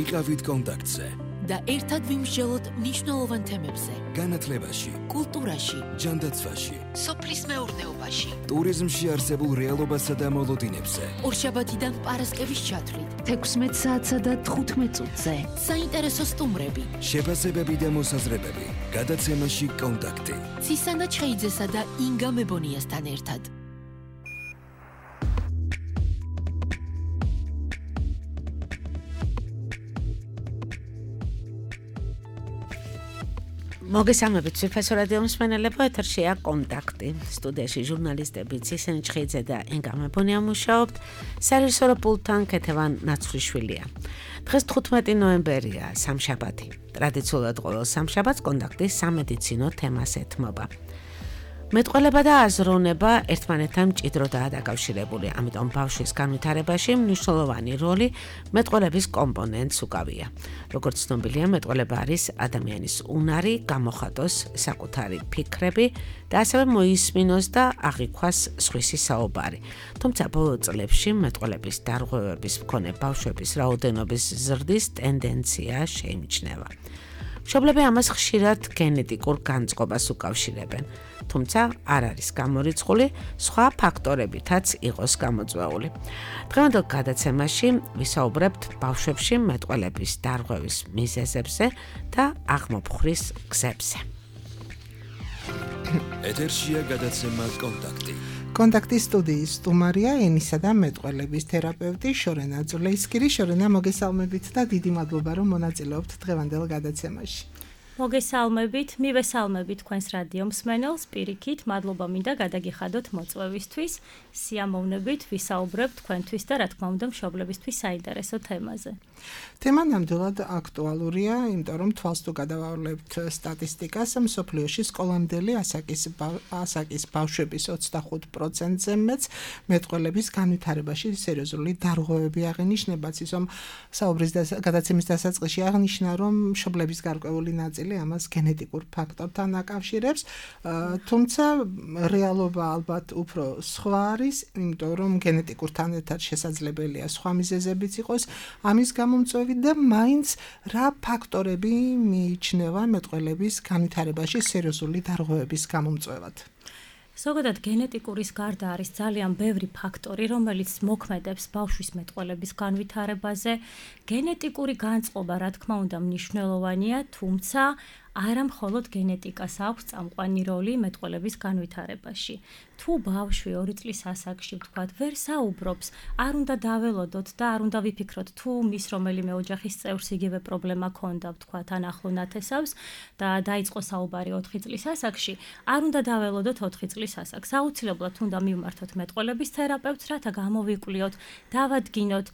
იყავით კონტაქტზე და ერთად ვიმსჯელოთ მნიშვნელოვან თემებზე. განათლებაში, კულტურაში, ჯანდაცვაში, სოფლის მეურნეობაში, ტურიზმში არსებულ რეალობასა და მოლოდინებზე. ორშაბათიდან პარასკევის ჩათვლით 16 საათსა და 15 წუთზე. საინტერესო სტუმრები, შეფასებები და მოსაზრებები. გადაცემაში კონტაქტი. ცისანა ჩხეიძესა და ინგა მებონიასთან ერთად. მოგესალმებით სვიფასო რადიო მსმენელებო, ეთერშია კონტაქტი. სტუდიაში ჟურნალისტები ცისანა ჩხეიძე და ინგა მებონია მუშაობთ. სარეჟისორო პულტთან ქეთევან ნაცვლიშვილია. დღეს 15 ნოემბერია, სამშაბათი. ტრადიციულად ყოველ სამშაბათს კონტაქტი სამედიცინო თემას ეთმობა. მეტყველება და აზროვნება ერთმანეთთან მჭიდროდაა დაკავშირებული, ამიტომ ბავშვის განვითარებაში მნიშვნელოვანი როლი მეტყველების კომპონენტს უკავია. როგორც ცნობილია, მეტყველება არის ადამიანის უნარი, გამოხატოს საკუთარი ფიქრები და ასევე მოისმინოს და აღიქვას სხვისი საუბარი. თუმცა ბოლო წლებში მეტყველების დარღვევების მქონე ბავშვების რაოდენობის ზრდის ტენდენცია შეიმჩნევა. მშობლები ამას ხშირად გენეტიკურ განწყობას უკავშირებენ. თუმცა არ არის გამორიცხული, სხვა ფაქტორებითაც იყოს გამოწვეული. დღევანდელ გადაცემაში ვისაუბრებთ ბავშვებში მეტყველების დარღვევის მიზეზებზე და აღმოფხვრის გზებზე. ეთერშია გადაცემა კონტაქტი. კონტაქტის სტუდიის სტუმარია ენისა და მეტყველების თერაპევტი შორენა ძულეისკირი. შორენა, მოგესალმებით და დიდი მადლობა, რომ მონაწილეობთ დღევანდელ გადაცემაში. მოგესალმებით, მივესალმებით თქვენს რადიო მსმენელს, პირიქით, მადლობა მინდა გადაგიხადოთ მოწვევისთვის, სიამოვნებით ვისაუბრებ თქვენთვის და რა თქმა უნდა მშობლებისთვის საინტერესო თემაზე. თემა ნამდვილად აქტუალურია, იმიტომ რომ თვალს თუ გადავავლებთ სტატისტიკას, მსოფლიოში სკოლამდელი ასაკის ბავშვების 25%-ზე მეც მეტყველების განვითარებაში სერიოზული დარღვევები აღინიშნება. ისო საუბრის გადაცემის დასაწყისში აღნიშნა, რომ მშობლების გარკვეული ნაწილი ამას გენეტიკურ ფაქტორთან აკავშირებს, თუმცა რეალობა ალბათ უფრო სხვა არის, იმიტომ რომ გენეტიკურთან ერთად შესაძლებელია სხვა მიზეზებიც იყოს ამის გამომწვევი და მაინც რა ფაქტორები მიიჩნევა მეტყველების განვითარებაში სერიოზული დარღვევების გამომწვევად. ზოგადად გენეტიკურის გარდა არის ძალიან ბევრი ფაქტორი, რომელიც მოქმედებს ბავშვის მეტყველების განვითარებაზე. გენეტიკური განწყობა, რა თქმა უნდა, მნიშვნელოვანია, თუმცა არა მხოლოდ გენეტიკას აქვს წამყვანი როლი მეტყველების განვითარებაში. თუ ბავშვი 2 წლის ასაკში, ვთქვათ, ვერ საუბრობს, არ უნდა დაველოდოთ და არ უნდა ვიფიქროთ, თუ მის რომელიმე ოჯახის წევრს იგივე პრობლემა ქონდა, ვთქვათ, ან ახლო ნათესავს და დაიწყო საუბარი 4 წლის ასაკში, არ უნდა დაველოდოთ 4 წლის ასაკს. აუცილებლად უნდა მივმართოთ მეტყველების თერაპევტს, რათა გამოვიკვლიოთ, დავადგინოთ,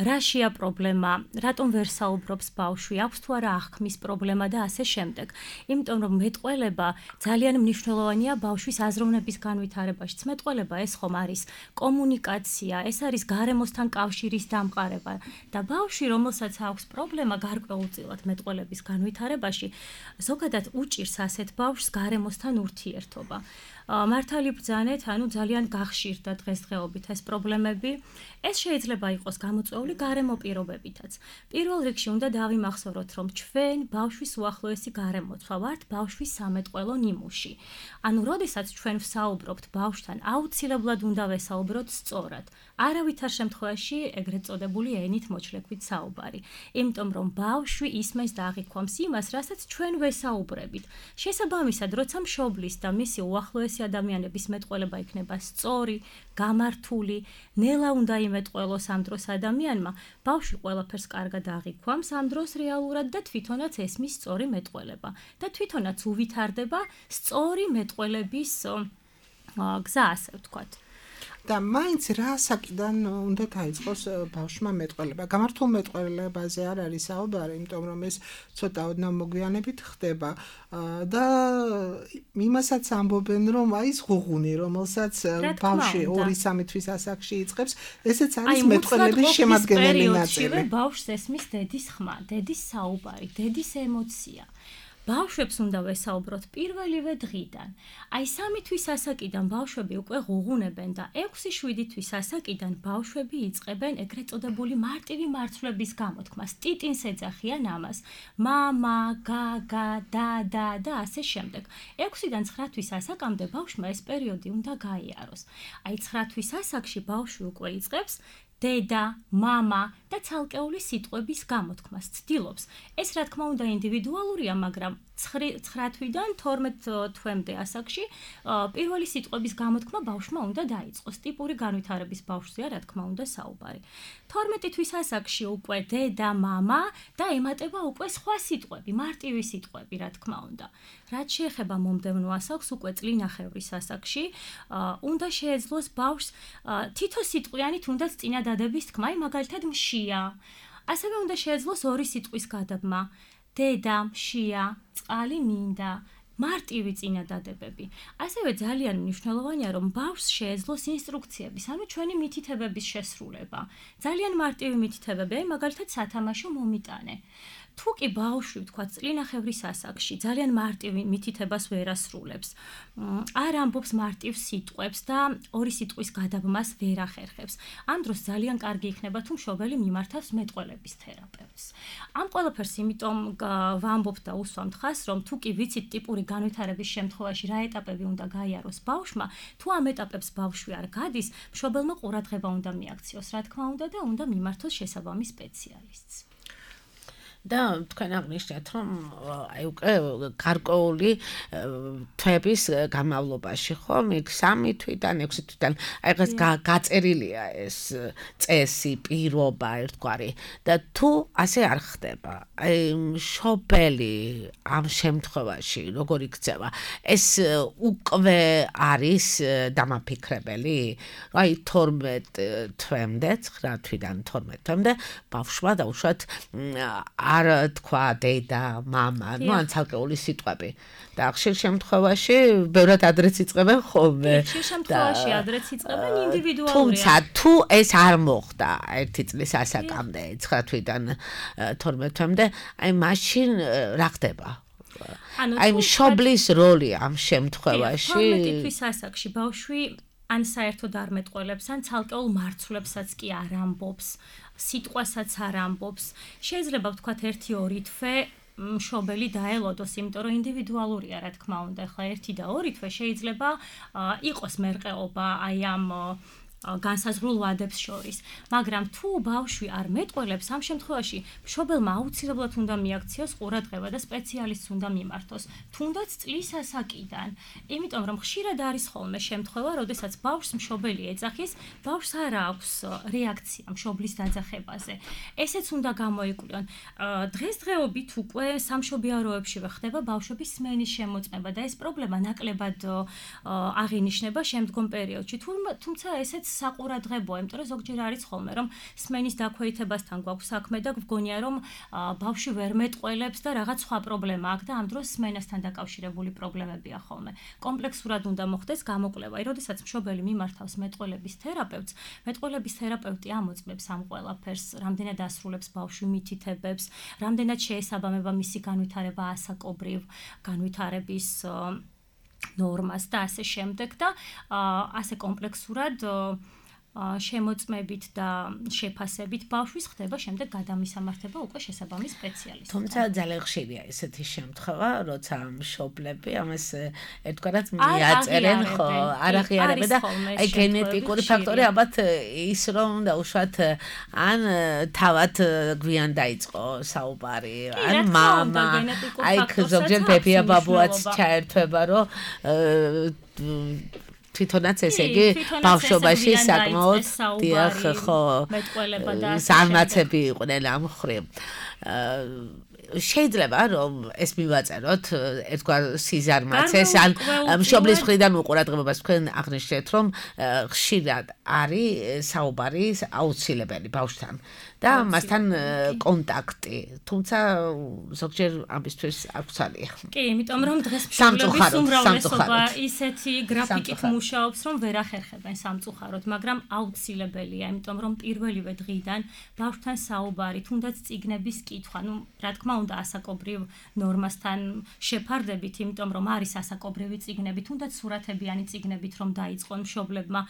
რაშია პრობლემა, რატომ ვერ საუბრობს ბავშვი, აქვს თუ არა აღქმის პრობლემა და ასე შემდეგ. იმიტომ რომ მეტყველება ძალიან მნიშვნელოვანია ბავშვის აზროვნების განვითარებაშიც. მეტყველება ეს ხომ არის კომუნიკაცია, ეს არის გარემოსთან კავშირის დამყარება და ბავშვი, რომელსაც აქვს პრობლემა გარკვეულწილად მეტყველების განვითარებაში, ზოგადად უჭირს ასეთ ბავშვს გარემოსთან ურთიერთობა. მართალი ბრძანეთ, ანუ ძალიან გახშირდა დღესდღეობით ეს პრობლემები. ეს შეიძლება იყოს გამოწვეული გარემო პირობებითაც. პირველ რიგში უნდა დავიმახსოვროთ, რომ ჩვენ ბავშვის უახლოესი გარემოცვა ვართ ბავშვის სამეტყველო ნიმუში. ანუ, როდესაც ჩვენ ვსაუბრობთ ბავშვთან, აუცილებლად უნდა ვესაუბროთ სწორად. არავითარ შემთხვევაში ეგრეთ წოდებული ენით მოჩლექვით საუბარი. იმიტომ რომ ბავშვი ისმენს და აღიქვამს იმას, რასაც ჩვენ ვესაუბრებით. შესაბამისად, როცა მშობლის და მისი უახლოესი ადამიანების მეტყველება იქნება სწორი, გამართული, ნელა უნდა იმეტყველოს ამ დროს ადამიანმა, ბავშვი ყველაფერს კარგად აღიქვამს ამ დროს რეალურად და თვითონაც ესმის სწორი მეტყველება და თვითონაც უვითარდება სწორი მეტყველების გზა, ასე ვთქვათ. და მაინც რა საკიდან უნდა დაიწყოს ბავშვმა მეტყველება. გამართულ მეტყველებაზე არ არის საუბარი, იმიტომ რომ ეს ცოტა ოდნავ მოგვიანებით ხდება და იმასაც ამბობენ, რომ აი ეს ღუღუნი, რომელსაც ბავშვი 2-3 თვის ასაკში იწყებს, ესეც არის მეტყველების შემადგენელი ნაწილი. ბავშვს ესმის დედის ხმა, დედის საუბარი, დედის ემოცია. ბავშვებს უნდა ვესაუბროთ პირველივე დღიდან. აი 3 თვის ასაკიდან ბავშვები უკვე ღუღუნებენ და 6-7 თვის ასაკიდან ბავშვები იწყებენ ეგრეთ წოდებული მარტივი მარცვლების გამოთქმას. ტიტინს ეძახიან ამას. მამა, გაგა, დადა და ასე შემდეგ. 6-დან 9 თვის ასაკამდე ბავშვმა ეს პერიოდი უნდა გაიაროს. აი 9 თვის ასაკში ბავშვი უკვე იწყებს დედა, მამა და ცალკეული სიტყვების გამოთქმას ცდილობს. ეს რა თქმა უნდა ინდივიდუალურია, მაგრამ 9 თვიდან 12 თვემდე ასაკში პირველი სიტყვების გამოთქმა ბავშვმა უნდა დაიწყოს. ტიპური განვითარების ბავშვზეა რა თქმა უნდა საუბარი. 12 თვის ასაკში უკვე დედა, მამა და ემატება უკვე სხვა სიტყვები, მარტივი სიტყვები რა თქმა უნდა. რაც შეეხება მომდევნო ასაკს, უკვე წლინახევრის ასაკში, უნდა შეეძლოს ბავშვს თითო სიტყვიანი თუნდაც წინადადების თქმა, მაგალითად მშია. ასევე უნდა შეეძლოს ორი სიტყვის გადაბმა. დედა, მშია, წყალი მინდა, მარტივი წინადადებები. ასევე ძალიან მნიშვნელოვანია, რომ ბავშვს შეეძლოს ინსტრუქციების, ანუ ჩვენი მითითებების შესრულება. ძალიან მარტივი მითითებები, მაგალითად სათამაშო მომიტანე. თუ კი ბავშვი, ვთქვათ, წლინახევრის ასაკში ძალიან მარტივ მითითებას ვერ ასრულებს, არ ამბობს მარტივ სიტყვებს და ორი სიტყვის გადაბმას ვერ ახერხებს. ამ დროს ძალიან კარგი იქნება, თუ მშობელი მიმართავს მეტყველების თერაპევტს. ამ ყველაფერს იმიტომ ვამბობ და უსვამთ ხას, რომ თუ კი ვიცით ტიპური განვითარების შემთხვევაში რა ეტაპები უნდა გაიაროს ბავშვმა, თუ ამ ეტაპებს ბავშვი არ გადის, მშობელმა ყურადღება უნდა მიაქციოს, რა თქმა უნდა და უნდა მიმართოს შესაბამის სპეციალისტს. და თქვენ აღნიშნეთ, რომ აი უკვე გარკვეული თვეების განმავლობაში ხომ, იქ 3 თვიდან 6 თვიდან აი ეს გაწერილია ეს წესი, პირობა ერთგვარი და თუ ასე არ ხდება, აი მშობელი ამ შემთხვევაში როგორ იქცევა, ეს უკვე არის დამაფიქრებელი, აი 12 თვემდე, 9 თვიდან 12 თვემდე ბავშვმა დაუშვათ არ თქვა დედა, მამა, ну ან ცალკეული სიტყვები. და ხშირ შემთხვევაში ბევრად ადრეც იწყებენ ხოლმე. ხშირ შემთხვევაში ადრეც იწყებენ ინდივიდუალურად. თუმცა თუ ეს არ მოხდა 1 წლის ასაკამდე, 9 თვიდან 12 თვემდე, აი მაშინ რა ხდება? აი მშობლის როლი ამ შემთხვევაში 12 თვის ასაკში ბავშვი ან საერთოდ არ მეტყველებს, ან ცალკეულ მარცვლებსაც კი არ ამბობს, სიტყვასაც არ ამბობს. შეიძლება ვთქვათ 1-2 თვე მშობელი დაელოდოს, იმიტომ რომ ინდივიდუალურია რა თქმა უნდა. ახლა 1 და 2 თვე შეიძლება იყოს მერყეობა აი ამ განსაზღვრულ ვადებს შორის. მაგრამ თუ ბავშვი არ მეტყველებს, ამ შემთხვევაში მშობელმა აუცილებლად უნდა მიაქციოს ყურადღება და სპეციალისტს უნდა მიმართოს, თუნდაც წლის ასაკიდან. იმიტომ რომ ხშირად არის ხოლმე შემთხვევა, როდესაც ბავშვს მშობელი ეძახის, ბავშვს არ აქვს რეაქცია მშობლის დაძახებაზე. ესეც უნდა გამოიკვლიონ. დღესდღეობით უკვე სამშობიაროებშივე ხდება ბავშვების სმენის შემოწმება და ეს პრობლემა ნაკლებად აღინიშნება შემდგომ პერიოდში. თუმცა ესეც საყურადღებოა, იმიტომ რომ ზოგჯერ არის ხოლმე, რომ სმენის დაქვეითებასთან გვაქვს საქმე და გვგონია, რომ ბავშვი ვერ მეტყველებს და რაღაც სხვა პრობლემა აქვს და ამ დროს სმენასთან დაკავშირებული პრობლემებია ხოლმე. კომპლექსურად უნდა მოხდეს გამოკვლევა. როდესაც მშობელი მიმართავს მეტყველების თერაპევტს, მეტყველების თერაპევტი ამოწმებს ამ ყველაფერს, რამდენად ასრულებს ბავშვი მითითებებს, რამდენად შეესაბამება მისი განვითარება ასაკობრივ განვითარების ნორმას და ასე შემდეგ და ასე კომპლექსურად შემოწმებით და შეფასებით ბავშვის ხდება შემდეგ გადამისამართება უკვე შესაბამის სპეციალისტთან. თუმცა ძალიან ხშირია ესეთი შემთხვევა, როცა მშობლები ამას ერთგვარად მიაწერენ, ხო, არ აღიარებენ და აი გენეტიკური ფაქტორი ალბათ ის რომ დაუშვათ ან თავად გვიან დაიწყო საუბარი, ან მამა, აი ზოგჯერ ბებია ბაბუაც ჩაერთვება, რომ თვითონაც ესე იგი ბავშვობაში საკმაოდ დიახ ხო ზარმაცები იყვნენ ამ მხრივ. შეიძლება რომ ეს მივაწეროთ ერთგვარ სიზარმაცეს ან მშობლის მხრიდან უყურადღებას თქვენ აღნიშნეთ რომ ხშირად არის საუბარი აუცილებელი ბავშვთან და მასთან კონტაქტი. თუმცა ზოგჯერ ამისთვის არ გვცალია. კი, იმიტომ რომ დღეს მშობლების უმრავლესობა ისეთი გრაფიკით მუშაობს, რომ ვერ ახერხებენ სამწუხაროდ, მაგრამ აუცილებელია, იმიტომ რომ პირველივე დღიდან ბავშვთან საუბარი, თუნდაც წიგნების კითხვა, რა თქმა უნდა, ასაკობრივ ნორმასთან შეფარდებით, იმიტომ რომ არის ასაკობრივი წიგნები, თუნდაც სურათებიანი წიგნებით რომ დაიწყონ მშობლებმა,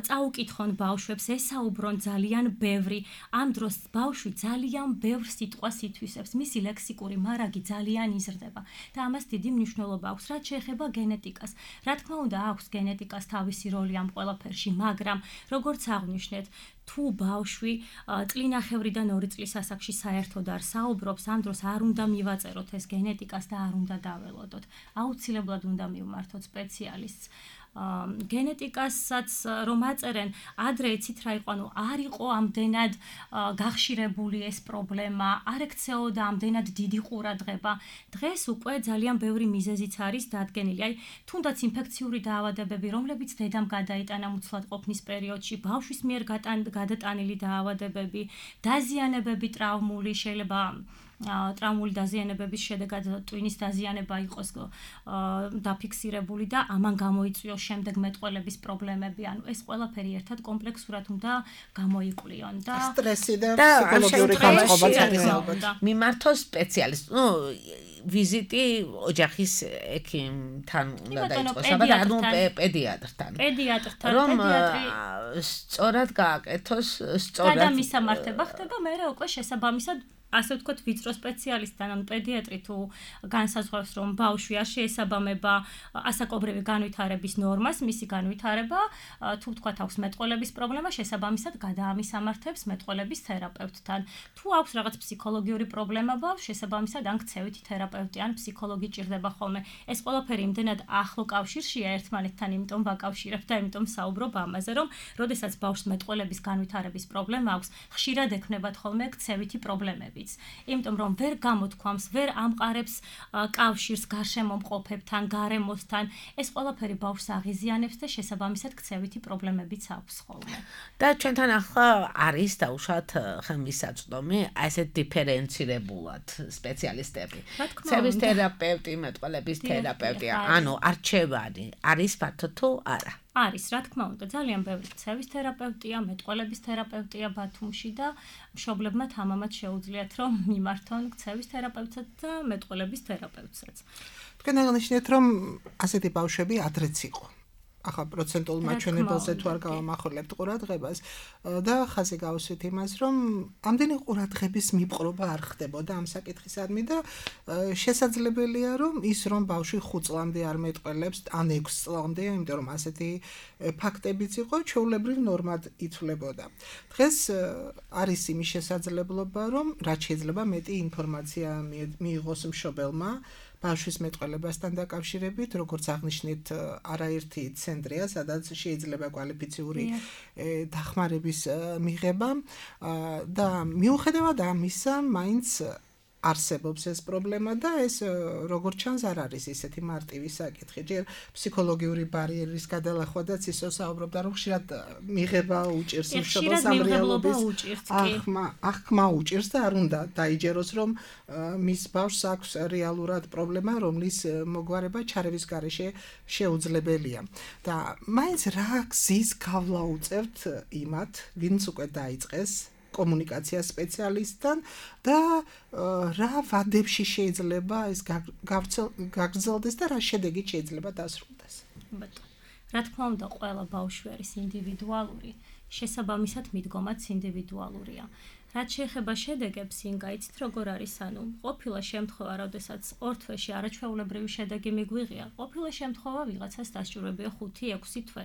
წაუკითხონ ბავშვებს, ესაუბრონ ძალიან ბევრი. ამ დროს ბავშვი ძალიან ბევრ სიტყვას ითვისებს, მისი ლექსიკური მარაგი ძალიან იზრდება და ამას დიდი მნიშვნელობა აქვს, რაც შეეხება გენეტიკას. რა თქმა უნდა, აქვს გენეტიკას თავისი როლი ამ ყველაფერში, მაგრამ როგორც აღვნიშნეთ, თუ ბავშვი წლინახევრიდან 2 წლის ასაკში საერთოდ არ საუბრობს, ამ დროს არ უნდა მივაწეროთ ეს გენეტიკას და არ უნდა დაველოდოთ. აუცილებლად უნდა მივმართოთ სპეციალისტს. გენეტიკასაც რომ აწერენ, ადრე იცით რა იყო, არ იყო ამდენად გახშირებული ეს პრობლემა, არ ექცეოდა ამდენად დიდი ყურადღება. დღეს უკვე ძალიან ბევრი მიზეზიც არის დადგენილი. აი, თუნდაც ინფექციური დაავადებები, რომლებიც დედამ გადაიტანა მუცლადყოფნის პერიოდში, ბავშვის მიერ გადატანილი დაავადებები, დაზიანებები ტრაუმული, შეიძლება ტრაუმული დაზიანებების შედეგად ტვინის დაზიანება იყოს დაფიქსირებული და ამან გამოიწვიოს შემდეგ მეტყველების პრობლემები. ანუ ეს ყველაფერი ერთად კომპლექსურად უნდა გამოიკვლიონ და სტრესი და ფსიქოლოგიური განწყობაც არის. მიმართოს სპეციალისტ. ვიზიტი ოჯახის ექიმთან უნდა დაიწყოს, ანუ პედიატრთან. რომ სწორად გააკეთოს, სწორად გადამისამართება ხდება, მერე უკვე შესაბამისად ასე ვთქვათ, ვიწრო სპეციალისტთან, ან პედიატრი თუ განსაზღვრავს, რომ ბავშვი არ შეესაბამება ასაკობრივი განვითარების ნორმას, მისი განვითარება, თუ ვთქვათ, აქვს მეტყველების პრობლემა, შესაბამისად გადაამისამართებს მეტყველების თერაპევტთან. თუ აქვს რაღაც ფსიქოლოგიური პრობლემა ბავშვს, შესაბამისად ან ქცევითი თერაპევტი, ან ფსიქოლოგი ჭირდება ხოლმე. ეს ყველაფერი იმდენად ახლო კავშირშია ერთმანეთთან, იმიტომ ვაკავშირებ და იმიტომ საუბრობ ამაზე, რომ როდესაც ბავშვს მეტყველების განვითარების პრობლემა აქვს, ხშირად ექნებათ ხოლმე ქცევითი პრობლემები. იმიტომ რომ ვერ გამოთქვამს, ვერ ამყარებს კავშირს გარშემო მყოფებთან, გარემოსთან, ეს ყველაფერი ბავშვს აღიზიანებს და შესაბამისად ქცევითი პრობლემებიც აქვს ხოლმე. და ჩვენთან ახლა არის დაუშვათ ხელმისაწვდომი, ასე დიფერენცირებულად სპეციალისტები. ქცევის თერაპევტი, მეტყველების თერაპევტი, ანუ არჩევანი არის ფართო თუ არა? არის, რა თქმა უნდა, ძალიან ბევრი ქცევის თერაპევტია, მეტყველების თერაპევტია ბათუმში და მშობლებმა თამამად შეუძლიათ რომ მიმართონ ქცევის თერაპევტსაც და მეტყველების თერაპევტსაც. თქვენ აღნიშნეთ, რომ ასეთი ბავშვები ადრეც იყო. ახლა პროცენტულ მაჩვენებელზე თუ არ გავამახვილებთ ყურადღებას და ხაზი გავუსვით იმას, რომ ამდენი ყურადღების მიპყრობა არ ხდებოდა ამ საკითხისადმი და შესაძლებელია, რომ ის რომ ბავშვი 5 წლამდე არ მეტყველებს, ან 6 წლამდე, იმიტომ რომ ასეთი ფაქტებიც იყო, ჩვეულებრივ ნორმად ითვლებოდა. დღეს არის იმის შესაძლებლობა, რომ რაც შეიძლება მეტი ინფორმაცია მიიღოს მშობელმა ბავშვის მეტყველებასთან დაკავშირებით, როგორც აღნიშნეთ, არაერთი ცენტრია, სადაც შეიძლება კვალიფიციური დახმარების მიღება და მიუხედავად ამისა, მაინც არსებობს ეს პრობლემა და ეს როგორც ჩანს არ არის ისეთი მარტივი საკითხი. ჯერ ფსიქოლოგიური ბარიერის გადალახვადაც ისო საუბრობდა, რომ ხშირად მიღება უჭირს მშობელს ამ რეალობის აღქმა უჭირს და არ უნდა დაიჯეროს, რომ მის ბავშვს აქვს რეალურად პრობლემა, რომლის მოგვარება ჩარევის გარეშე შეუძლებელია. და მაინც რა გზის გავლა უწევთ იმათ, ვინც უკვე დაიწყეს კომუნიკაცია სპეციალისტთან და რა ვადებში შეიძლება ეს გაგრძელდეს და რა შედეგით შეიძლება დასრულდეს. რა თქმა უნდა, ყველა ბავშვი არის ინდივიდუალური, შესაბამისად მიდგომაც ინდივიდუალურია. რაც შეეხება შედეგებს, ინგა, იცით როგორ არის, ანუ ყოფილა შემთხვევა, როდესაც ორ თვეში არაჩვეულებრივი შედეგი მიგვიღია, ყოფილა შემთხვევა ვიღაცას დასჭირებია 5-6 თვე,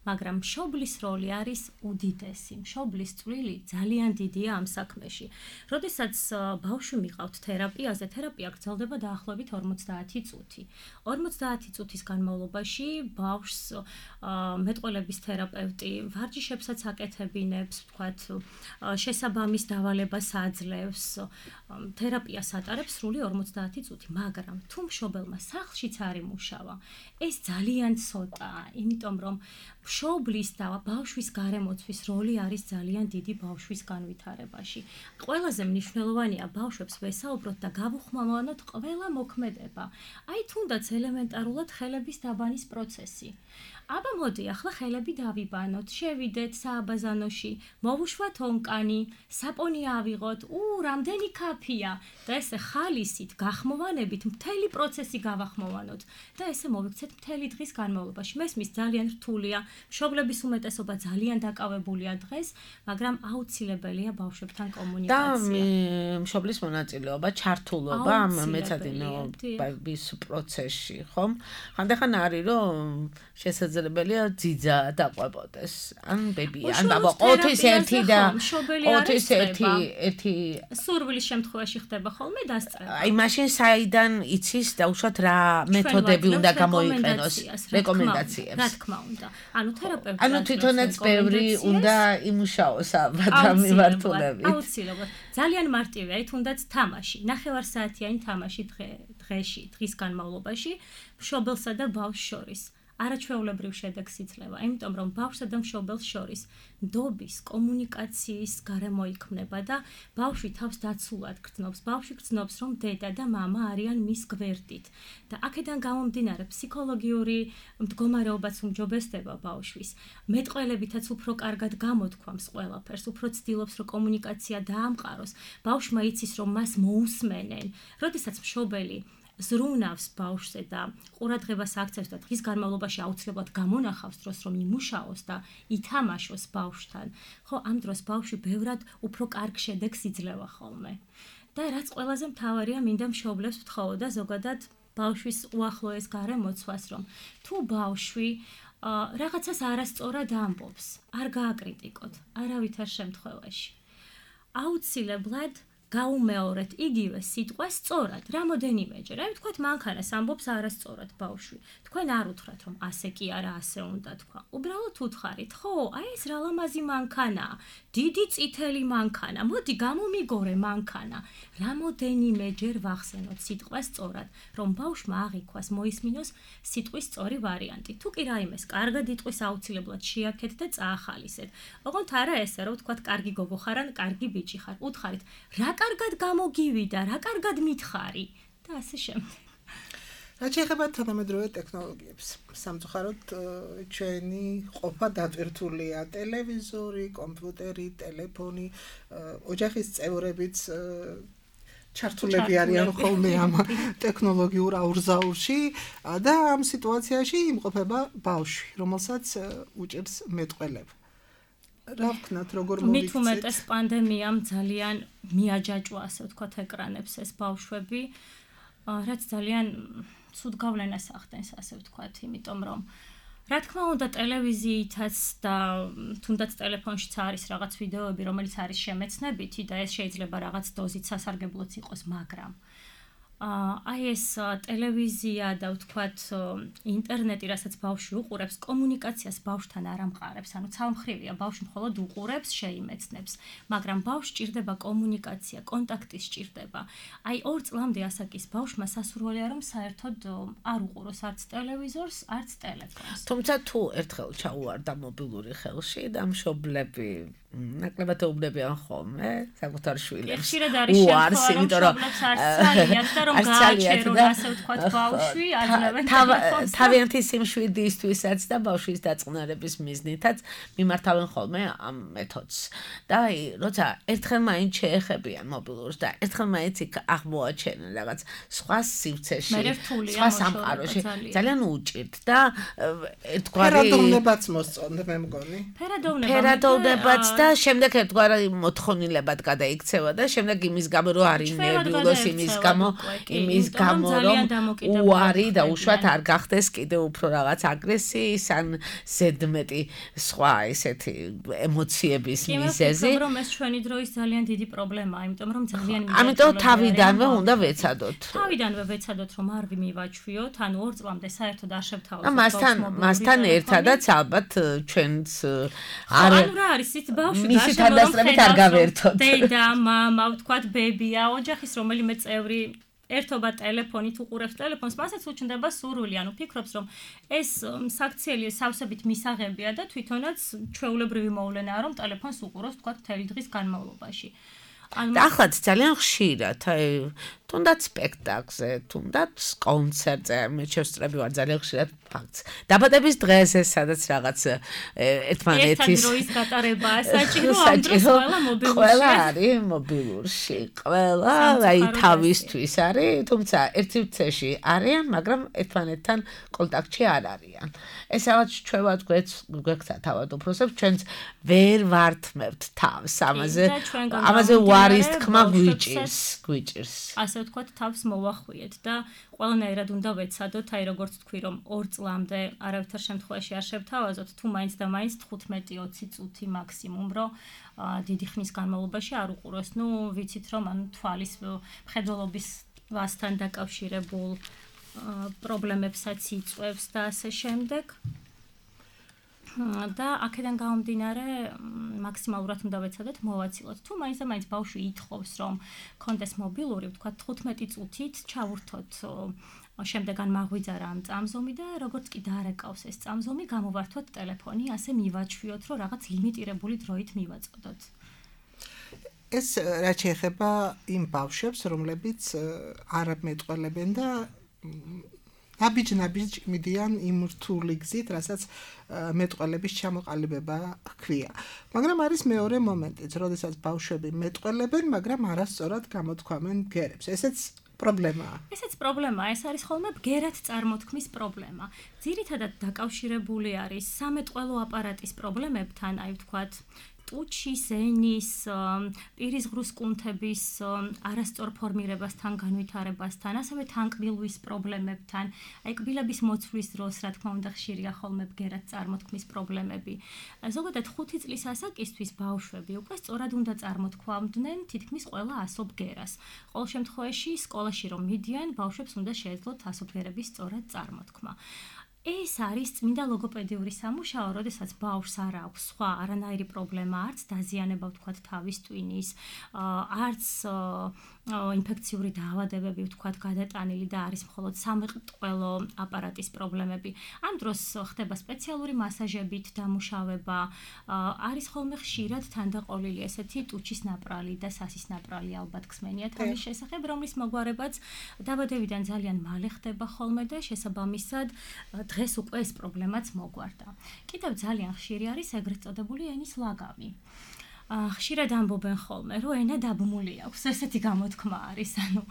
მაგრამ მშობლის როლი არის უდიდესი. მშობლის წვლილი ძალიან დიდია ამ საქმეში. როდესაც ბავშვი მიყავთ თერაპიაზე, თერაპია გრძელდება დაახლოებით 50 წუთი. 50 წუთის განმავლობაში ბავშვს მეტყველების თერაპევტი ვარჯიშებსაც აკეთებინებს, ვთქვათ, შესაბამის დავალებას აძლევს, თერაპიას ატარებს სრული 50 წუთი, მაგრამ თუ მშობელმა სახლშიც არ იმუშავა, ეს ძალიან ცოტაა, იმიტომ რომ მშობლის და ბავშვის გარემოცვის როლი არის ძალიან დიდი ბავშვის განვითარებაში. ყველაზე მნიშვნელოვანია ბავშვებს ვესაუბროთ და გავუხმოვანოთ ყველა მოქმედება. აი თუნდაც ელემენტარულად ხელების დაბანის პროცესი. აბა მოდი, ახლა ხელები დავიბანოთ, შევიდეთ სააბაზანოში, მოვუშვათ ონკანი, საპონი ავიღოთ, რამდენი კაფეა და ესე ხალისით, გახმოვანებით მთელი პროცესი გავახმოვანოთ და ესე მოვიქცეთ მთელი დღის განმავლობაში. მესმის ძალიან რთულია, მშობლების უმეტესობა ძალიან დაკავებულია დღეს, მაგრამ აუცილებელია ბავშვებთან კომუნიკაცია. და მშობლის მონაწილეობა, ჩართულობა ამ მეცადინეობის პროცესში, ხომ? ხანდახან არის რომ შესაძლებელია ძიძა დაყვებოდეს, ან ბები, ან ბაბა, ოთის ერთი და ოთის ერთი სურვილის შემთხვევაში ხდება ხოლმე დასწრება. აი მაშინ საიდან იცის დაუშვათ რა მეთოდები უნდა გამოიყენოს, რეკომენდაციებს. რა თქმა უნდა. ანუ თერაპევტი ანუ თვითონაც ბევრი უნდა იმუშაოს ამ მიმართულებით. აუცილებლად. ძალიან მარტივია, აი თუნდაც თამაში, ნახევარსაათიანი თამაში დღის განმავლობაში მშობელსა და ბავშვს შორის. არაჩვეულებრივ შედეგს იძლევა, იმიტომ რომ ბავშვსა და მშობელს შორის ნდობის, კომუნიკაციის გარემო იქმნება და ბავშვი თავს დაცულად გრძნობს. ბავშვი გრძნობს, რომ დედა და მამა არიან მის გვერდით. და აქედან გამომდინარე ფსიქოლოგიური მდგომარეობაც უმჯობესდება ბავშვის. მეტყველებითაც უფრო კარგად გამოთქვამს ყველაფერს, უფრო ცდილობს, რომ კომუნიკაცია დაამყაროს. ბავშვმა იცის, რომ მას მოусმენენ. როდესაც მშობელი ზრუნავს ბავშვზე და ყურადღებას აქცევს და დღის განმავლობაში აუცილებლად გამონახავს დროს, რომ იმუშაოს და ითამაშოს ბავშვთან, ხო, ამ დროს ბავშვი ბევრად უფრო კარგ შედეგს იძლევა ხოლმე. და რაც ყველაზე მთავარია, მინდა მშობლებს ვთხოვო და ზოგადად ბავშვის უახლოეს გარემოცვას, რომ თუ ბავშვი რაღაცას არასწორად ამბობს, არ გააკრიტიკოთ არავითარ შემთხვევაში. აუცილებლად გაუმეორეთ იგივე სიტყვას სწორად, რამოდენიმეჯერ. აი ვთქვათ, მანქანას ამბობს არასწორად ბავშვი. თქვენ არ უთხრათ, რომ ასე კი არა, ასე უნდა თქვა. უბრალოდ უთხარით, ხო, აი ეს რა ლამაზი მანქანაა, დიდი წითელი მანქანა, მოდი გამომიგორე მანქანა. რამოდენიმეჯერ ვახსენოთ სიტყვას სწორად, რომ ბავშვმა აღიქვას, მოისმინოს სიტყვის სწორი ვარიანტი. თუ კი რაიმეს კარგად იტყვის, აუცილებლად შეაქეთ და წაახალისეთ. ოღონდ არა ესე, რომ ვთქვათ, კარგი გოგო ხარ ან კარგი ბიჭი ხარ. უთხარით, რა კარგად გამოგივიდა, რა კარგად მითხარი და ასე შემდეგ. რაც შეეხება თანამედროვე ტექნოლოგიებს, სამწუხაროდ ჩვენი ყოფა დატვირთულია ტელევიზორი, კომპიუტერი, ტელეფონი, ოჯახის წევრებიც ჩართულები არიან ხოლმე ამ ტექნოლოგიურ აურზაურში და ამ სიტუაციაში იმყოფება ბავშვი, რომელსაც უჭირს მეტყველება. რა ვქნათ, როგორ მოვიქცეთ? მით უმეტეს პანდემიამ ძალიან მიაჯაჭვა, ასე ვთქვათ, ეკრანებს ეს ბავშვები, რაც ძალიან ცუდ გავლენას ახდენს, ასე ვთქვათ, იმიტომ რომ რა თქმა უნდა ტელევიზიითაც და თუნდაც ტელეფონშიც არის რაღაც ვიდეოები, რომელიც არის შემეცნებითი და ეს შეიძლება რაღაც დოზით სასარგებლოც იყოს, მაგრამ აი ეს ტელევიზია და ვთქვათ ინტერნეტი, რასაც ბავშვი უყურებს, კომუნიკაციას ბავშვთან არ ამყარებს, ანუ ცალმხრივია, ბავშვი მხოლოდ უყურებს, შეიმეცნებს, მაგრამ ბავშვს ჭირდება კომუნიკაცია, კონტაქტი სჭირდება. აი 2 წლამდე ასაკის ბავშვმა სასურველია, რომ საერთოდ არ უყუროს არც ტელევიზორს, არც ტელეფონს. თუმცა თუ ერთხელ ჩაუვარდა მობილური ხელში და მშობლები ნაკლებად ეუბნებიან ხოლმე საკუთარ შვილებს. ხშირად არის შემთხვევა, რომ მშობლებს არ ცალიათ და რომ გააჩერონ, ასე ვთქვათ, ბავშვი, აძლევენ ტელეფონს. თავიანთი სიმშვიდისთვისაც და ბავშვის დაწყნარების მიზნითაც მიმართავენ ხოლმე ამ მეთოდს. და აი, როცა ერთხელ მაინც შეეხებიან მობილურს და ერთხელ მაინც იქ აღმოაჩენენ რაღაც სხვა სივრცეში, სხვა სამყაროში, ძალიან უჭირთ და ერთგვარი ფერადოვნებაც მოსწონთ, მე მგონი. ფერადოვნებაც და შემდეგ ერთგვარი მოთხოვნილებად გადაიქცევა და შემდეგ იმის გამო რომ არის ნერვიულოს, იმის გამო რომ უარი და უშუალოდ არ გახდეს კიდევ უფრო რაღაც აგრესიის ან ზედმეტი სხვა ესეთი ემოციების მიზეზი. კი, რომ ეს ჩვენი დროის ძალიან დიდი პრობლემაა, იმიტომ რომ ძალიან ამიტომ თავიდანვე უნდა ვეცადოთ. თავიდანვე ვეცადოთ, რომ არ ვიმივაჩვიოთ, ანუ 2 წლამდე საერთოდ არ შევთავაზოთ. მასთან ერთადაც ალბათ ჩვენც ანუ რა არის ის მისი თანდასწრებით არ გავერთოთ. დედა, მამა, ვთქვათ, ბებია, ოჯახის რომელიმე წევრი ერთობა ტელეფონით უყურებს ტელეფონს, მასაც უჩნდება სურვილი, ანუ ფიქრობს, რომ ეს საქციელი სავსებით მისაღებია და თვითონაც ჩვეულებრივი მოვლენაა, რომ ტელეფონს უყუროს, ვთქვათ, მთელი დღის განმავლობაში. ახლაც ძალიან ხშირად, თუნდაც სპექტაკლზე, თუნდაც კონცერტზე, მე შევსწრები ვარ ძალიან ხშირად ფაქტს. დაბადების დღეზე, სადაც რაღაც ერთმანეთის დროის გატარებაა საჭირო, ამ დროს ყველა მობილურში. ყველა არის მობილურში, ყველა აი თავისთვის არის, თუმცა ერთ სივრცეში არიან, მაგრამ ერთმანეთთან კონტაქტში არ არიან. ეს რაღაც ჩვენවත් გვექცა თავად უფროსებს, ჩვენც ვერ ვართმევთ თავს ამაზე ვარის თქმა გვიჭირს. ასე ვთქვათ, თავს მოვახვიეთ და ყველანაირად უნდა ვეცადოთ, აი როგორც თქვი, რომ 2 წლამდე არავითარ შემთხვევაში არ შევთავაზოთ, თუ მაინც და მაინც 15-20 წუთი მაქსიმუმ, რომ დიდი ხნის განმავლობაში არ უყუროს. ნუ ვიცით, რომ ანუ თვალის მხედველობის ვასთან დაკავშირებულ პრობლემებსაც იწვევს და ასე შემდეგ. და აქედან გამომდინარე მაქსიმალურად უნდა ვეცადოთ მოვაცილოთ. თუ მაინც და მაინც ბავშვი ითხოვს, რომ კონდეს მობილური, ვთქვათ 15 წუთით ჩავურთოთ შემდეგან მაღვიძარა ამ წამზომი და როგორც კი დაარეკავს ეს წამზომი, გამოვართოთ ტელეფონი, ასე მივაჩვიოთ, რომ რაღაც ლიმიტირებული დროით მივაწოდოთ. ეს რაც შეეხება იმ ბავშვებს, რომლებიც არ მეტყველებენ და ნაბიჯ მიდიან იმ რთული გზით, რასაც მეტყველების ჩამოყალიბება ჰქვია. მაგრამ არის მეორე მომენტიც, როდესაც ბავშვები მეტყველებენ, მაგრამ არასწორად გამოთქვამენ ბგერებს. ესეც პრობლემაა. ესეც პრობლემაა, ეს არის ხოლმე ბგერად წარმოთქმის პრობლემა. ძირითადად დაკავშირებული არის სამეტყველო აპარატის პრობლემებთან, აი ვთქვათ, ტუჩის, ენის, პირის ღრუს კუნთების არასწორ ფორმირებასთან, განვითარებასთან, ასევე თანკბილვის პრობლემებთან, აი კბილების მოცვლის დროს, რა თქმა უნდა, ხშირია ხოლმე ბგერად წარმოთქმის პრობლემები. ზოგადად 5 წლის ასაკისთვის ბავშვები უკვე სწორად უნდა წარმოთქვამდნენ თითქმის ყველა ასობგერას. ყოველ შემთხვევაში, სკოლაში რომ მიდიან, ბავშვებს უნდა შეეძლოთ ასობგერების სწორად წარმოთქმა. ეს არის წმინდა ლოგოპედიური სამუშაო, როდესაც ბავშვს არ აქვს სხვა არანაირი პრობლემა, არც დაზიანება, ვთქვათ, თავის ტვინის, არც ინფექციური დაავადებები, ვთქვათ, გადატანილი და არის მხოლოდ სამეტყველო აპარატის პრობლემები. ამ დროს ხდება სპეციალური მასაჟებით დამუშავება, არის ხოლმე ხშირად თანდაყოლილი ესეთი ტუჩის ნაპრალი და სასის ნაპრალი ალბათ ხსმენიათ ამის შესახებ, რომლის მოგვარებაც დაბადებიდან ძალიან მალე ხდება ხოლმე და შესაბამისად დღეს უკვე ეს პრობლემაც მოგვარდა. კიდევ ძალიან ხშირი არის ეგრეთ წოდებული ენის ლაგამი. ხშირად ამბობენ ხოლმე, რომ ენა დაბმული აქვს, ესეთი გამოთქმა არის, ანუ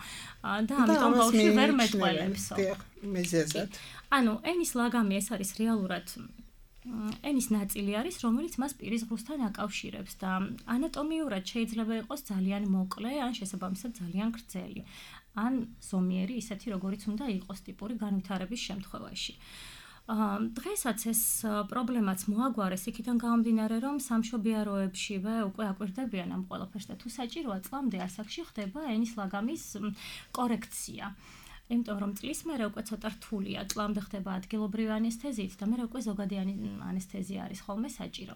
და ამიტომ ბავშვი ვერ მეტყველებსო. ანუ ენის ლაგამი ეს არის რეალურად ენის ნაწილი არის, რომელიც მას პირის ღრუსთან აკავშირებს და ანატომიურად შეიძლება იყოს ძალიან მოკლე, ან შესაბამისად ძალიან გრძელი. ან ზომიერი, ისეთი როგორიც უნდა იყოს ტიპური განვითარების შემთხვევაში. დღესაც ეს პრობლემაც მოაგვარეს იქიდან გამომდინარე, რომ სამშობიაროებშივე უკვე აკვირდებიან ამ ყველაფერს და თუ საჭიროა წლამდე ასაკში ხდება ენის ლაგამის კორექცია. იმიტომ რომ წლის მერე უკვე ცოტა რთულია, წლამდე ხდება ადგილობრივი ანესთეზიით და მერე უკვე ზოგადი ანესთეზია არის ხოლმე საჭირო.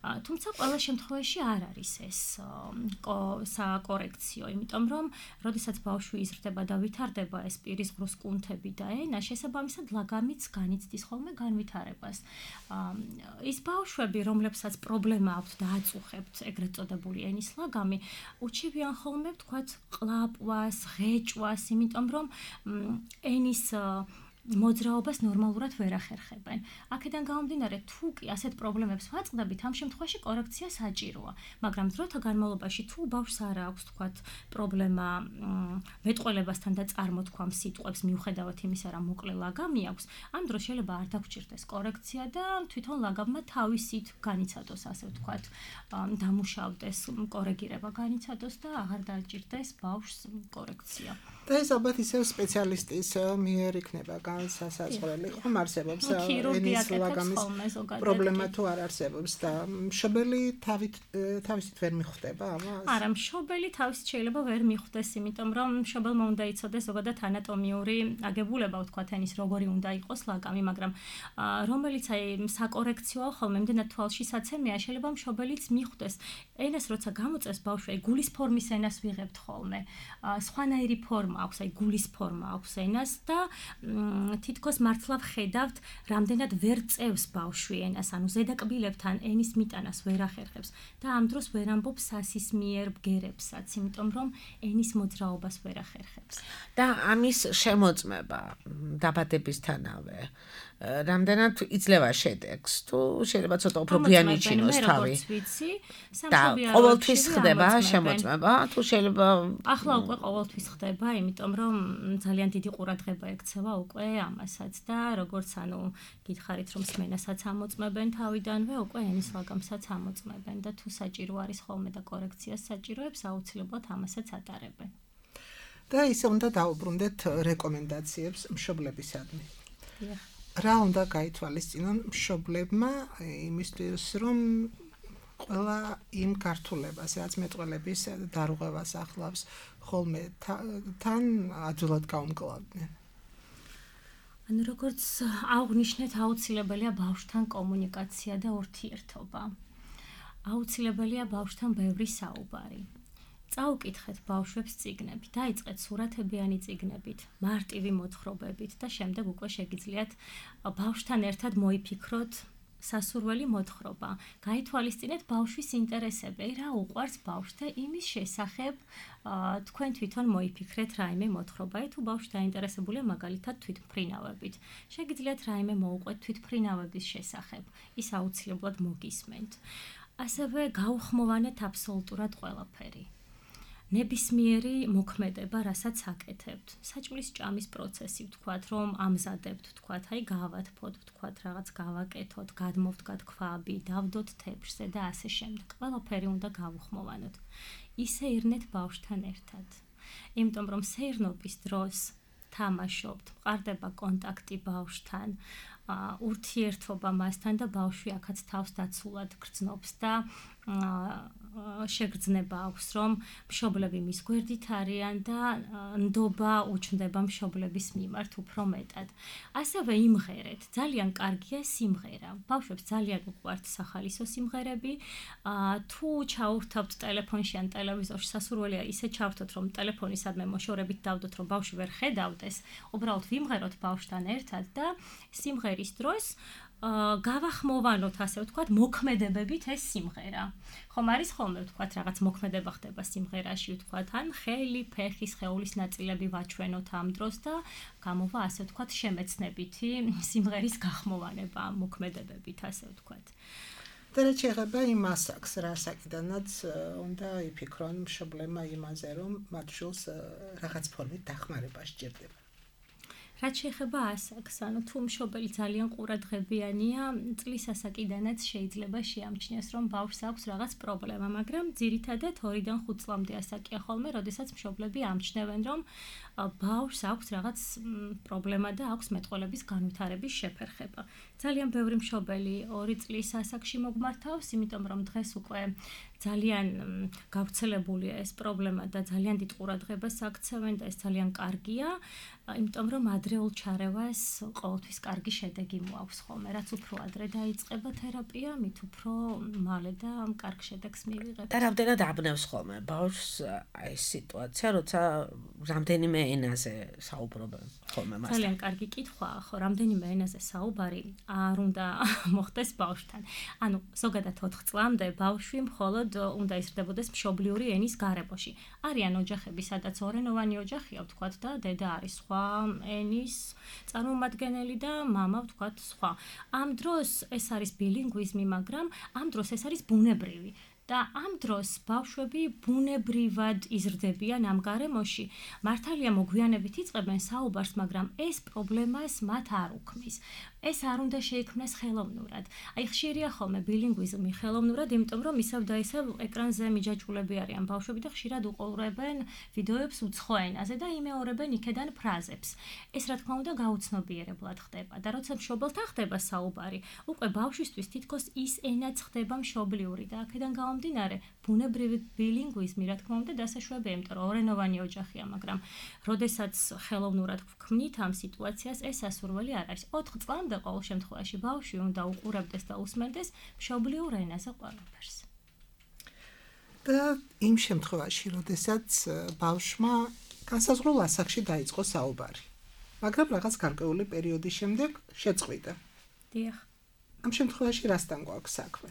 თუმცა ყველა შემთხვევაში არ არის ეს საკორექციო, იმიტომ რომ როდესაც ბავშვი იზრდება და ვითარდება ეს პირის ღრუს კუნთები და ენა, შესაბამისად ლაგამიც განიცდის ხოლმე განვითარებას. ის ბავშვები, რომლებსაც პრობლემა აქვთ და აწუხებთ ეგრეთ წოდებული ენის ლაგამი, უჩივიან ხოლმე ვთქვათ ყლაპვას, ღეჭვას, იმიტომ რომ ენის მოძრაობას ნორმალურად ვერ ახერხებენ. აქედან გამომდინარე, თუ კი ასეთ პრობლემებს ვაწყდებით, ამ შემთხვევაში კორექცია საჭიროა, მაგრამ დროთა განმავლობაში თუ ბავშვს არ აქვს, თქვათ, პრობლემა მეტყველებასთან და წარმოთქვამ სიტყვებს მიუხედავად იმისა, რომ მოკლე ლაგამი აქვს, ამ დროს შეიძლება არ დაგჭირდეს კორექცია და თვითონ ლაგამმა თავისით განიცადოს, ასე ვთქვათ, დამუშავდეს, კორეგირება განიცადოს და აღარ დაჭირდეს ბავშვს კორექცია. და ეს ალბათ ისევ სპეციალისტის მიერ იქნება განსასაზღვრელი ხომ არსებობს ენის ლაგამის პრობლემა თუ არ არსებობს და მშობელი თავისით ვერ მიხვდება ამას? არა, მშობელი თავისით შეიძლება ვერ მიხვდეს, იმიტომ რომ მშობელმა უნდა იცოდეს ზოგადად ანატომიური აგებულება, ვთქვათ, ენის როგორი უნდა იყოს ლაგამი, მაგრამ რომელიც საკორექციოა ხოლმე, იმდენად თვალში საცემია, შეიძლება მშობელიც მიხვდეს. ენას როცა გამოწევს ბავშვი, გულის ფორმის ენას ვიღებთ ხოლმე. სხვანაირი ფორმა აქვს, გულის ფორმა აქვს ენას და თითქოს მართლა ვხედავთ, რამდენად ვერ წევს ბავშვი ენას, ანუ ზედაკბილებთან ენის მიტანას ვერ ახერხებს და ამ დროს ვერ ამბობს სასისმიერ ბგერებსაც, იმიტომ რომ ენის მოძრაობას ვერ ახერხებს. და ამის შემოწმება დაბადებისთანავე რამდენად იძლევა შედეგს, თუ შეიძლება ცოტა უფრო ბიანიჩინოს თავი. და ყოველთვის ხდება შემოწმება, თუ შეიძლება ახლა უკვე ყოველთვის ხდება, იმიტომ რომ ძალიან დიდი ყურადღება ექცევა უკვე ამასაც და როგორც გითხარით რომ სმენასაც ამოწმებენ თავიდანვე, უკვე ენის ლაგამსაც ამოწმებენ და თუ საჭირო არის ხოლმე და კორექციას საჭიროებს, აუცილებლად ამასაც ატარებენ. და ისე უნდა დაუბრუნდეთ რეკომენდაციებს მშობლებისადმი. რა უნდა გაითვალისწინონ მშობლებმა იმისთვის, რომ ყველა იმ გართულებას, რაც მეტყველების დარღვევას ახლავს, ხოლმე თან ადვილად გაუმკლავდნენ. ანუ როგორც აღნიშნეთ, აუცილებელია ბავშვთან კომუნიკაცია და ურთიერთობა. აუცილებელია ბავშვთან ბევრი საუბარი. წაუკითხეთ ბავშვებს წიგნები, დაიწყეთ სურათებიანი წიგნებით, მარტივი მოთხრობებით და შემდეგ უკვე შეგიძლიათ ბავშვთან ერთად მოიფიქროთ სასურველი მოთხრობა. გაითვალისწინეთ ბავშვის ინტერესები, რა უყვარს ბავშვს და იმის შესახებ თქვენ თვითონ მოიფიქრეთ რაიმე მოთხრობა. თუ ბავშვი დაინტერესებულია მაგალითად თვითმფრინავებით, შეგიძლიათ რაიმე მოუყვეთ თვითმფრინავების შესახებ, ის აუცილებლად მოგისმენთ. ასევე გაუხმოვანეთ აბსოლუტურად ყველაფერი. ნებისმიერი მოქმედება, რასაც აკეთებთ. საჭმლის ჭამის პროცესი, ვთქვათ, რომ ამზადებთ, ვთქვათ, გავათფოთ, ვთქვათ, რაღაც გავაკეთოთ, გადმოვდგათ ქვაბი, დავდოთ თეფშზე და ასე შემდეგ. ყველაფერი უნდა გავუხმოვანოთ. ისე ირნეთ ბავშვთან ერთად. იმიტომ რომ სეირნობის დროს თამაშობთ, მყარდება კონტაქტი ბავშვთან, ურთიერთობა მასთან და ბავშვი აქაც თავს დაცულად გრძნობს და შეგრძნება აქვს, რომ მშობლები მის გვერდით არიან და ნდობა უჩნდება მშობლების მიმართ უფრო მეტად. ასევე იმღერეთ, ძალიან კარგია სიმღერა. ბავშვებს ძალიან უყვართ სახალისო სიმღერები. თუ ჩაურთავთ ტელეფონში ან ტელევიზორში, სასურველია ისე ჩავრთოთ, რომ ტელეფონისადმე მოშორებით დავდოთ, რომ ბავშვი ვერ ხედავდეს, უბრალოდ ვიმღეროთ ბავშვთან ერთად და სიმღერის დროს გავახმოვანოთ, ასე ვთქვათ, მოქმედებებით ეს სიმღერა. ხომ არის ხოლმე ვთქვათ, რაღაც მოქმედება ხდება სიმღერაში, ვთქვათ, ან ხელი, ფეხი, სხეულის ნაწილები ვაჩვენოთ ამ დროს და გამოვა, ასე ვთქვათ, შემეცნებითი სიმღერის გახმოვანება მოქმედებებით, ასე ვთქვათ. და რა შეეხება იმ ასაკს, რა საკიდანაც უნდა იფიქრონ მშობლებმა იმაზე, რომ მათ შულს რაღაც ფორმით დახმარება სჭირდება. რაც შეეხება ასაკს, ანუ თუ მშობელი ძალიან ყურადღებიანია, წლის ასაკიდანაც შეიძლება შეამჩნიოს, რომ ბავშვს აქვს რაღაც პრობლემა, მაგრამ ძირითადად 2-დან 5 წლამდე ასაკია ხოლმე, როდესაც მშობლები ამჩნევენ, რომ ბავშვს აქვს რაღაც პრობლემა და აქვს მეტყველების განვითარების შეფერხება. ძალიან ბევრი მშობელი 2 წლის ასაკში მოგმართავს, იმიტომ რომ დღეს უკვე ძალიან გავრცელებულია ეს პრობლემა და ძალიან დიდ ყურადღებას აქცევენ და ეს ძალიან კარგია, იმიტომ რომ ადრეულ ჩარევას ყოველთვის კარგი შედეგი მოაქვს ხოლმე. რაც უფრო ადრე დაიწყება თერაპია, მით უფრო მალე და კარგ შედეგს მივიღებთ. და რამდენად აბნევს ხოლმე ბავშვს ეს სიტუაცია, როცა რამდენიმე ენაზე საუბრობენ ხოლმე მასთან. ძალიან კარგი კითხვაა, ხო, რამდენიმე ენაზე საუბარი არ უნდა მოხდეს ბავშვთან. ანუ ზოგადად 4 წლამდე ბავშვი მხოლოდ უნდა იზრდებოდეს მშობლიური ენის გარემოში. არიან ოჯახები, სადაც ორენოვანი ოჯახია, ვთქვათ, და დედა არის სხვა ენის წარმომადგენელი და მამა, ვთქვათ, სხვა. ამ დროს ეს არის ბილინგვიზმი, მაგრამ ამ დროს ეს არის ბუნებრივი. და ამ დროს ბავშვები ბუნებრივად იზრდებიან ამ გარემოში. მართალია მოგვიანებით იწყებენ საუბარს, მაგრამ ეს პრობლემას მათ არ უქმნის. ეს არ უნდა შეიქმნას ხელოვნურად. აი ხშირია ხოლმე ბილინგვიზმი ხელოვნურად, იმიტომ რომ ისევ და ისევ ეკრანზე მიჯაჭვულები არიან ბავშვები და ხშირად უყურებენ ვიდეოებს უცხო ენაზე და იმეორებენ იქედან ფრაზებს. ეს რა თქმა უნდა გაუცნობიერებლად ხდება და როცა მშობელთან ხდება საუბარი, უკვე ბავშვისთვის თითქოს ის ენაც ხდება მშობლიური და აქედან გამომდინარე ბუნებრივი ბილინგვიზმი რა თქმა უნდა დასაშვებია, იმიტომ რომ ორენოვანი ოჯახია, მაგრამ როდესაც ხელოვნურად ვქმნით ამ სიტუაციას, ეს სასურველი არ არის. 4 წლამდე ყოველ შემთხვევაში ბავშვი უნდა უყურებდეს და უსმენდეს მშობლიურ ენაზე ყველაფერს. და იმ შემთხვევაში, როდესაც ბავშვმა განსაზღვრულ ასაკში დაიწყო საუბარი, მაგრამ რაღაც გარკვეული პერიოდის შემდეგ შეწყვიტა. დიახ. ამ შემთხვევაში რასთან გვაქვს საქმე?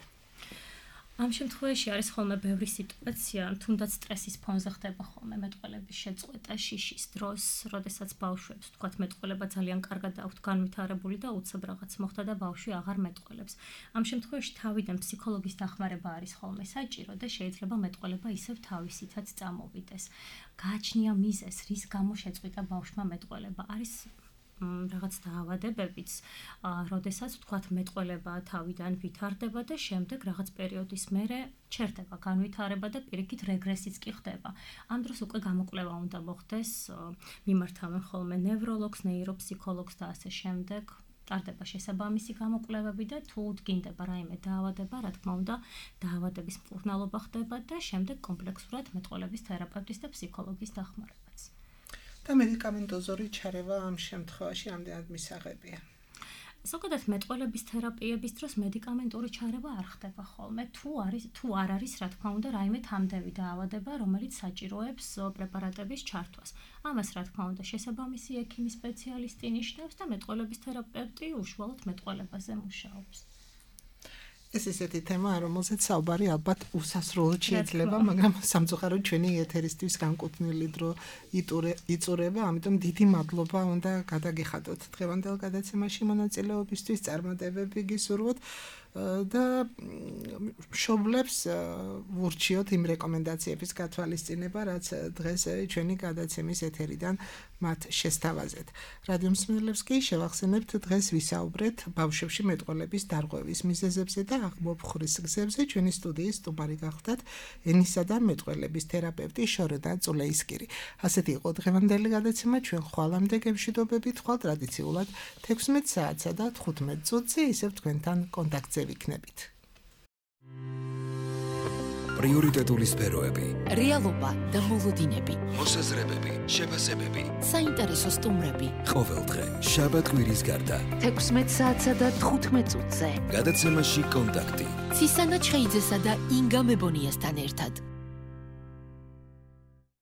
ამ შემთხვევაში არის ხოლმე ბევრი სიტუაცია, თუნდაც სტრესის ფონზე ხდება ხოლმე მეტყველების შეწყვეტა შიშის დროს, როდესაც ბავშვებს თქვათ მეტყველება ძალიან კარგად აქვთ განვითარებული და უცებ რაღაც მოხდა და ბავშვი აღარ მეტყველებს. ამ შემთხვევაში თავიდან ფსიქოლოგის დახმარება არის ხოლმე საჭირო და შეიძლება მეტყველება ისევ თავისითაც წამოვიდეს. გააჩნია მიზეზ, რის გამო შეწყვიტა ბავშვმა მეტყველება. არის რაღაც დაავადებებიც, როდესაც თქვათ მეტყველება თავიდან ვითარდება და შემდეგ რაღაც პერიოდის მერე ჩერდება განვითარება და პირიქით რეგრესიც კი ხდება. ამ დროს უკვე გამოკვლევა უნდა მოხდეს, მიმართავენ ხოლმე ნევროლოგს, ნეიროფსიქოლოგს და ასე შემდეგ. ტარდება შესაბამისი გამოკვლევები და თუ დგინდება რაიმე დაავადება, რა თქმა უნდა, დაავადების მკურნალობა ხდება და შემდეგ კომპლექსურად მეტყველების თერაპევტის და ფსიქოლოგის დახმარებაც. და მედიკამენტოზური ჩარევა ამ შემთხვევაში ამდენად მისაღებია. ზოგადად მეტყველების თერაპიების დროს მედიკამენტური ჩარევა არ ხდება ხოლმე, თუ არ არის, რა თქმა უნდა, რაიმე თამდევი დაავადება, რომელიც საჭიროებს პრეპარატების ჩართვას. ამას, რა თქმა უნდა, შესაბამისი ექიმი სპეციალისტი ნიშნავს და მეტყველების თერაპევტი უშუალოდ მეტყველებაზე მუშაობს. ეს ისეთი თემაა, რომელზეც საუბარი ალბათ უსასრულოდ შეიძლება, მაგრამ სამწუხაროდ ჩვენი ეთერისთვის განკუთვნილი დრო იწურება, ამიტომ დიდი მადლობა უნდა გადაგიხადოთ დღევანდელ გადაცემაში მონაწილეობისთვის, წარმატებები გისურვოთ და მშობლებს ვურჩიოთ იმ რეკომენდაციების გათვალისწინება, რაც დღეს ჩვენი გადაცემის ეთერიდან მათ შესთავაზეთ. რადიო მსმენელებს კი შევახსენებთ, დღეს ვისაუბრეთ ბავშვებში მეტყველების დარღვევის მიზეზებზე და აღმოფხვრის გზებზე. ჩვენი სტუდიის სტუმარი გახლდათ ენისა და მეტყველების თერაპევტი შორენა წულეისკირი. ასეთი იყო დღევანდელი გადაცემა, ჩვენ ხვალამდე გემშვიდობებით, ხვალ ტრადიციულად 16 საათსა და 15 წუთზე ისევ თქვენთან კონტაქტზე ვიქნებით. პრიორიტეტული სფეროები, რეალობა და მოლოდინები, მოსაზრებები, შეფასებები, საინტერესო სტუმრები. ყოველდღე, შაბათ-კვირის გარდა, 16 საათსა და 15 წუთზე. გადაცემაში კონტაქტი. ცისანა ჩხეიძესა და ინგა მებონიასთან ერთად.